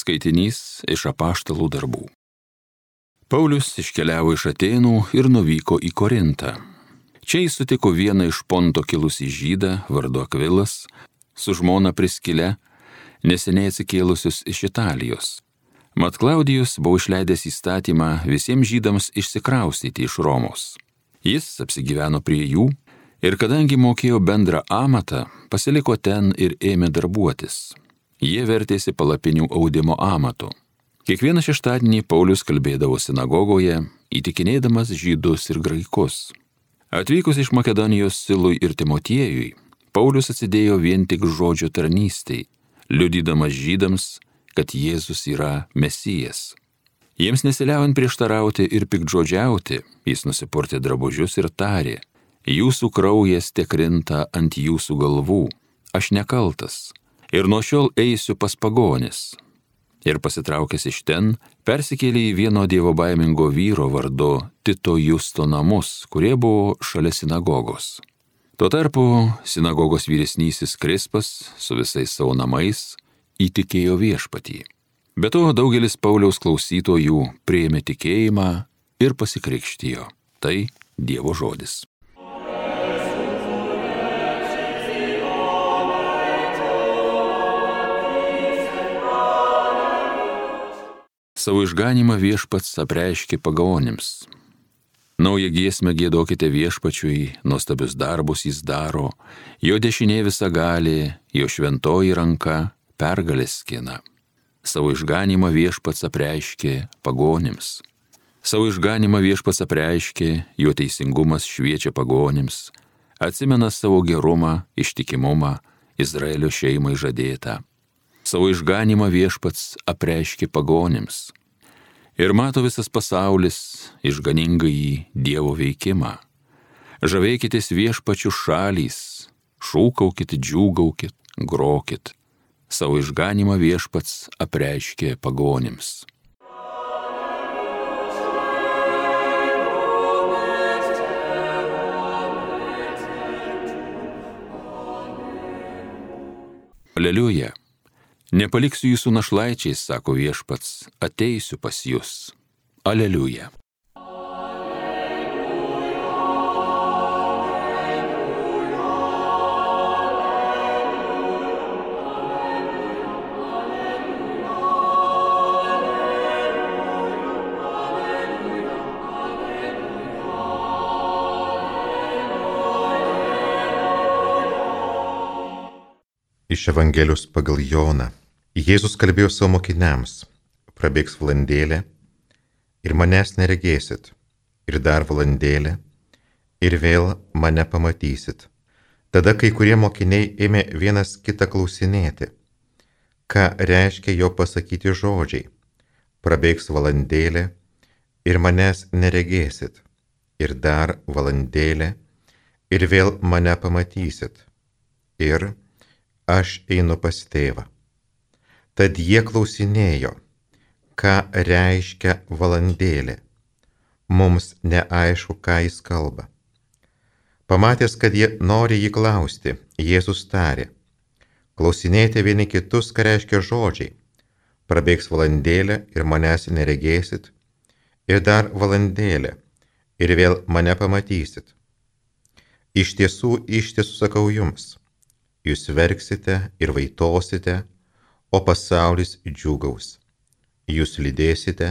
Skaitinys iš Apaštalų darbų. Paulius iškeliavo iš Atėnų ir nuvyko į Korintą. Čia jis sutiko vieną iš Ponto kilusį žydą vardu Akvilas su žmona Priskile, neseniai atsikėlusius iš Italijos. Mat Klaudijus buvo išleidęs įstatymą visiems žydams išsikraustyti iš Romos. Jis apsigyveno prie jų ir kadangi mokėjo bendrą amatą, pasiliko ten ir ėmė darbuotis. Jie vertėsi palapinių audimo amatu. Kiekvieną šeštadienį Paulius kalbėdavo sinagogoje, įtikinėdamas žydus ir graikus. Atvykus iš Makedonijos Silui ir Timotiejui, Paulius atsidėjo vien tik žodžio tarnystei, liudydamas žydams, kad Jėzus yra Mesijas. Jiems nesiliaujant prieštarauti ir piktžodžiauti, jis nusipurtė drabužius ir tarė: jūsų kraujas tekrinta ant jūsų galvų, aš nekaltas. Ir nuo šiol eisiu pas pagonis. Ir pasitraukęs iš ten, persikėlė į vieno dievobaimingo vyro vardu Tito Justo namus, kurie buvo šalia sinagogos. Tuo tarpu sinagogos vyresnysis Krispas su visais savo namais įtikėjo viešpatį. Be to daugelis Pauliaus klausytojų priėmė tikėjimą ir pasikrikštijo. Tai Dievo žodis. Savo išganymą viešpats apreiškė pagonims. Naują giesmę giedokite viešpačiui, nuostabius darbus jis daro, jo dešinė visagalė, jo šventoji ranka pergalės skina. Savo išganymą viešpats apreiškė pagonims. Savo išganymą viešpats apreiškė, jo teisingumas šviečia pagonims, atsimena savo gerumą, ištikimumą, Izraelio šeimai žadėtą. Savo išganymą viešpats apreiškė pagonims. Ir mato visas pasaulis išganingąjį Dievo veikimą. Žavėkitės viešpačių šalys, šūkaukit, džiūgaukit, grokit. Savo išganymą viešpats apreiškė pagonims. Aleliuja. Nepaliksiu jūsų našlaičiais, sako viešpats, ateisiu pas jus. Aleliuja. Iš Evangelijos pagal Joną. Jėzus kalbėjo savo mokiniams: prabėgs valandėlė ir manęs neregėsit, ir dar valandėlė ir vėl mane pamatysit. Tada kai kurie mokiniai ėmė vienas kitą klausinėti, ką reiškia jo pasakyti žodžiai: prabėgs valandėlė ir manęs neregėsit, ir dar valandėlė ir vėl mane pamatysit. Ir aš einu pas tėvą. Tad jie klausinėjo, ką reiškia valandėlė. Mums neaišku, ką jis kalba. Pamatęs, kad jie nori jį klausti, Jėzus tarė: klausinėti vieni kitus, ką reiškia žodžiai: prabėgs valandėlė ir manęs neregėsit, ir dar valandėlė ir vėl mane pamatysit. Iš tiesų sakau jums, jūs verksite ir vaitosite, o pasaulis džiūgaus. Jūs liūdėsite,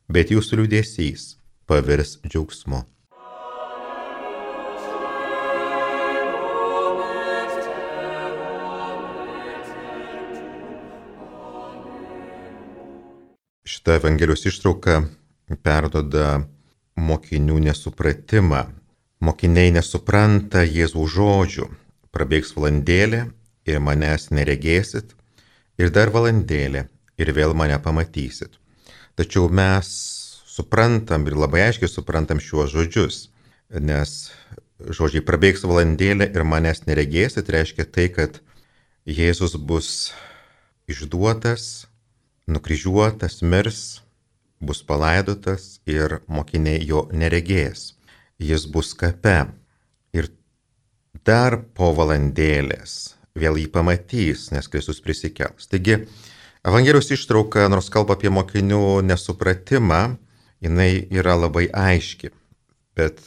bet jūsų liūdesys pavirs džiaugsmu. Šitą Evangelijos ištrauką perduoda mokinių nesupratimą. Mokiniai nesupranta Jėzaus žodžių: prabėgs valandėlė ir manęs neregėsit, ir dar valandėlė ir vėl mane pamatysit. Tačiau mes suprantam ir labai aiškiai suprantam šiuos žodžius, nes žodžiai prabėgs valandėlė ir manęs neregėsit reiškia tai, kad Jėzus bus išduotas, nukryžiuotas, mirs, bus palaidotas ir mokiniai jo neregės. Jis bus kape ir dar po valandėlės vėl jį pamatys, nes Kristus prisikels. Taigi Evangelijos ištrauka, nors kalba apie mokinių nesupratimą, jinai yra labai aiški. Bet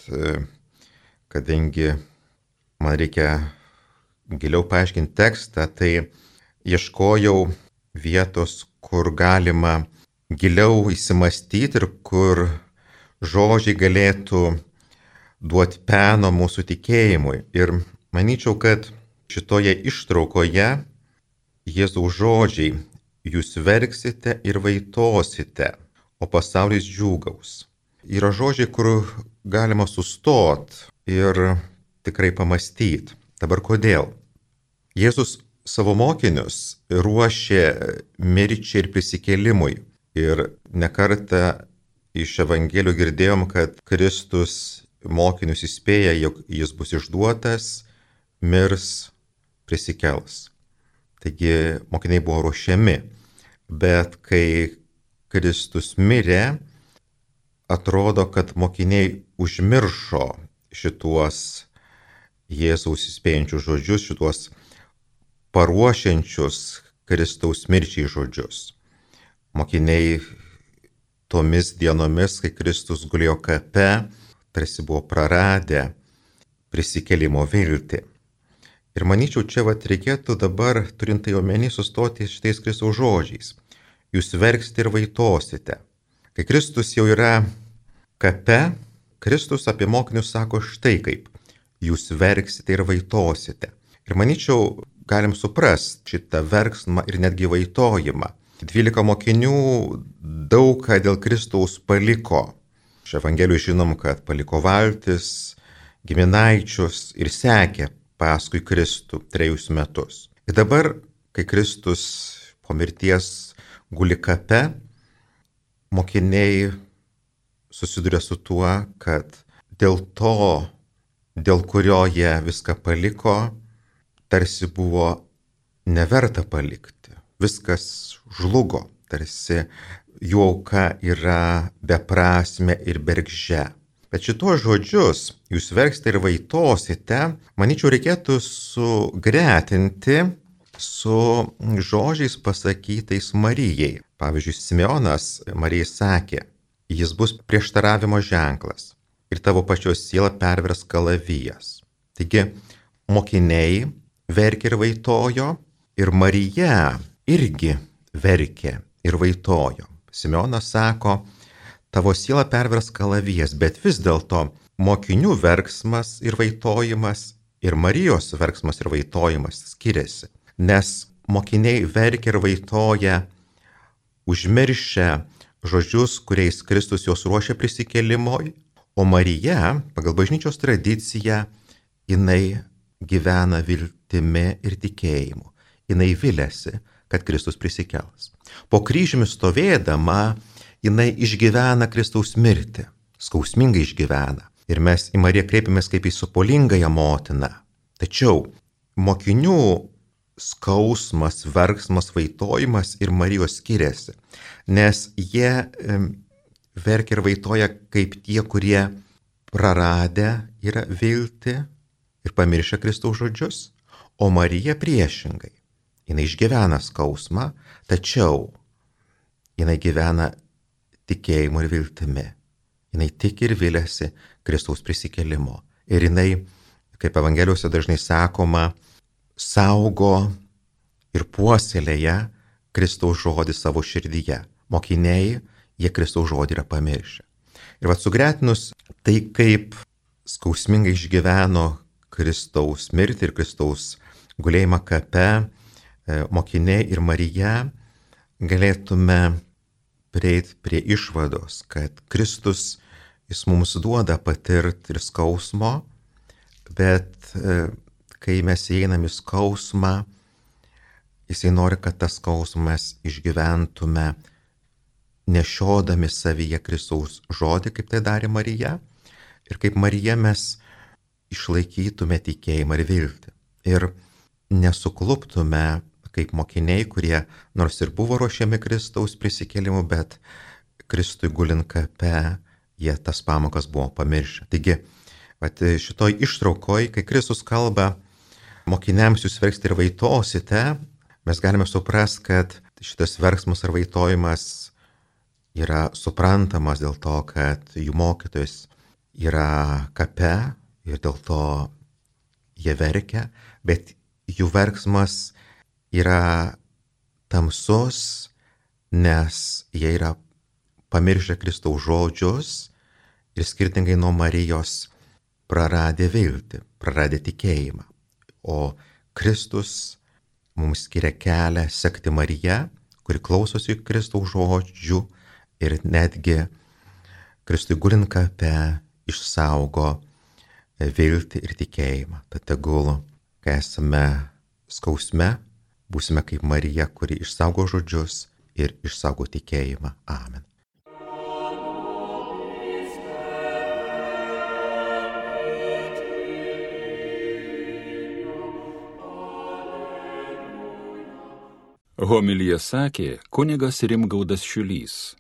kadangi man reikia giliau paaiškinti tekstą, tai ieškojau vietos, kur galima giliau įsimastyti ir kur žodžiai galėtų duoti peno mūsų tikėjimui. Ir manyčiau, kad šitoje ištraukoje Jėzaus žodžiai: jūs verksite ir vaitosite, o pasaulis džiūgaus, yra žodžiai, kur galima sustot ir tikrai pamastyti. Dabar kodėl? Jėzus savo mokinius ruošė mirčiai ir prisikėlimui. Ir nekartą iš Evangelijų girdėjom, kad Kristus mokinius įspėja, jog jis bus išduotas, mirs, prisikels. Taigi mokiniai buvo ruošiami. Bet kai Kristus mirė, atrodo, kad mokiniai užmiršo šituos Jėzaus įspėjančius žodžius, šituos paruošiančius Kristaus mirčiai žodžius. Mokiniai tomis dienomis, kai Kristus gulėjo kape, tarsi buvo praradę prisikėlimo viltį. Ir manyčiau, čia reikėtų dabar, turint tai omeny, sustoti šitais Kristaus žodžiais: jūs verksite ir vaitosite. Kai Kristus jau yra kape, Kristus apie mokinius sako štai kaip: jūs verksite ir vaitosite. Ir manyčiau, galim suprasti šitą verksmą ir netgi vaitojimą. 12 mokinių daug ką dėl Kristaus paliko. Iš Evangelijų žinom, kad paliko valtis, giminaičius ir sekė paskui Kristų 3 metus. Ir dabar, kai Kristus po mirties guli kape, mokiniai susiduria su tuo, kad dėl to, dėl kurio jie viską paliko, tarsi buvo neverta palikti. Viskas žlugo, tarsi jų auka yra beprasmė ir bergždžia. Bet šitos žodžius, jūs verksite ir vaitosite, manyčiau, reikėtų sugretinti su žodžiais pasakytais Marijai. Pavyzdžiui, Simeonas Marijai sakė: jis bus prieštaravimo ženklas ir tavo pačios siela pervers kalavijas. Taigi, mokiniai verkė ir vaitojo, ir Marija irgi verkė ir vaitojo. Simeonas sako: tavo siela pervers kalavijas, bet vis dėlto mokinių verksmas ir vaitojimas ir Marijos verksmas ir vaitojimas skiriasi. Nes mokiniai verkia ir vaitoja užmiršę žodžius, kuriais Kristus juos ruošia prisikėlimui, o Marija, pagal bažnyčios tradiciją, jinai gyvena viltimi ir tikėjimu. Jinai viliasi, kad Kristus prisikels. Po kryžiumi stovėdama, jinai išgyvena Kristaus mirtį, skausmingai išgyvena. Ir mes į Mariją kreipiamės kaip į sopolingąją motiną. Tačiau mokinių skausmas, verksmas, vaitojimas ir Marijos skiriasi, nes jie verkia ir vaitoja kaip tie, kurie praradę yra viltį ir pamiršę Kristaus žodžius, o Marija priešingai. Jinai išgyvena skausmą, tačiau jinai gyvena tikėjimu ir viltimi. Jinai tiki ir viliasi Kristaus prisikėlimo. Ir jinai, kaip Evangelijose dažnai sakoma, saugo ir puoselėja Kristaus žodį savo širdyje. Mokiniai, jie Kristaus žodį yra pamiršę. Ir sugretinus tai, kaip skausmingai išgyveno Kristaus mirtį ir Kristaus gulėjimą kape, mokiniai ir Marija, galėtume prieiti prie išvados, kad Kristus, jis mums duoda patirti ir skausmo, bet kai mes įeinam į skausmą, jisai nori, kad tas skausmas išgyventume nešiodami savyje Kristaus žodį, kaip tai darė Marija, ir kaip Marija mes išlaikytume tikėjimą ir viltį. Ir nesukluptume kaip mokiniai, kurie nors ir buvo ruošiami Kristaus prisikėlimu, bet Kristui gulint kape, jie tas pamokas buvo pamiršę. Taigi, šitoj ištraukoj, kai Kristus kalba, mokiniams jūs verksite ir vaitosite, mes galime suprasti, kad šitas verksmas ar vaitojimas yra suprantamas dėl to, kad jų mokytojas yra kape ir dėl to jie verkia, bet jų verksmas yra tamsus, nes jie yra pamiršę Kristaus žodžius ir skirtingai nuo Marijos praradę viltį, praradę tikėjimą. O Kristus mums skiria kelią sekti Mariją, kuri klausosi Kristaus žodžių ir netgi Kristui gulint kape išsaugo viltį ir tikėjimą. Tad tegul, kai esame skausme, būsime kaip Marija, kuri išsaugo žodžius ir išsaugo tikėjimą. Amen. Homiliją sakė kunigas Rimgaudas Šiulys.